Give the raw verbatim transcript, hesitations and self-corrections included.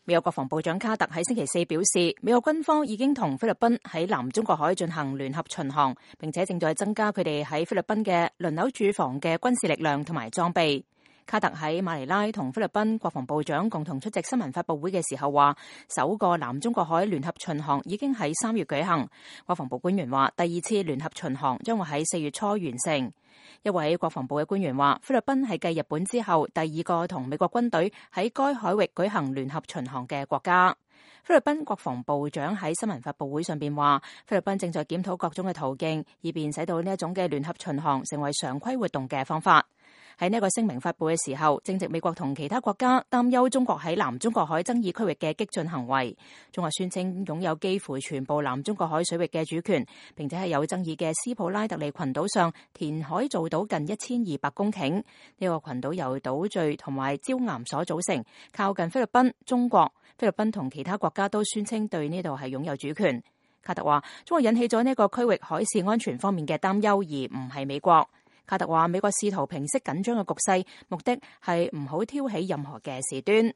美國國防部長卡特喺星期四表示，美國軍方已經同菲律賓喺南中國海進行聯合巡航，並且正在增加佢哋喺菲律賓嘅輪流駐防嘅軍事力量同埋裝備。卡特喺馬尼拉同菲律賓國防部長共同出席新聞發佈會嘅時候話，首個南中國海聯合巡航已經喺三月舉行。國防部官員話，第二次聯合巡航將會喺四月初完成。一位國防部嘅官員話，菲律賓係繼日本之後第二個同美國軍隊喺該海域舉行聯合巡航嘅國家。菲律賓國防部長喺新聞發佈會上邊話，菲律賓正在檢討各種嘅途徑，以便使到呢一種嘅聯合巡航成為常規活動嘅方法。喺呢個聲明發佈嘅時候，正值美國同其他國家擔憂中國喺南中國海爭議區域嘅激進行為。中國宣稱擁有幾乎全部南中國海水域嘅主權，並且喺有爭議嘅斯普拉特利群島上填海做到近一千二百公頃。呢、這個群島由島嶼同埋礁岩所組成，靠近菲律賓、中國。菲律賓同其他國家都宣稱對呢度係擁有主權。卡特話，中國引起咗呢個區域海事安全方面嘅擔憂，而唔係美國。卡特話，美國試圖平息緊張嘅局勢，目的係唔好挑起任何嘅事端。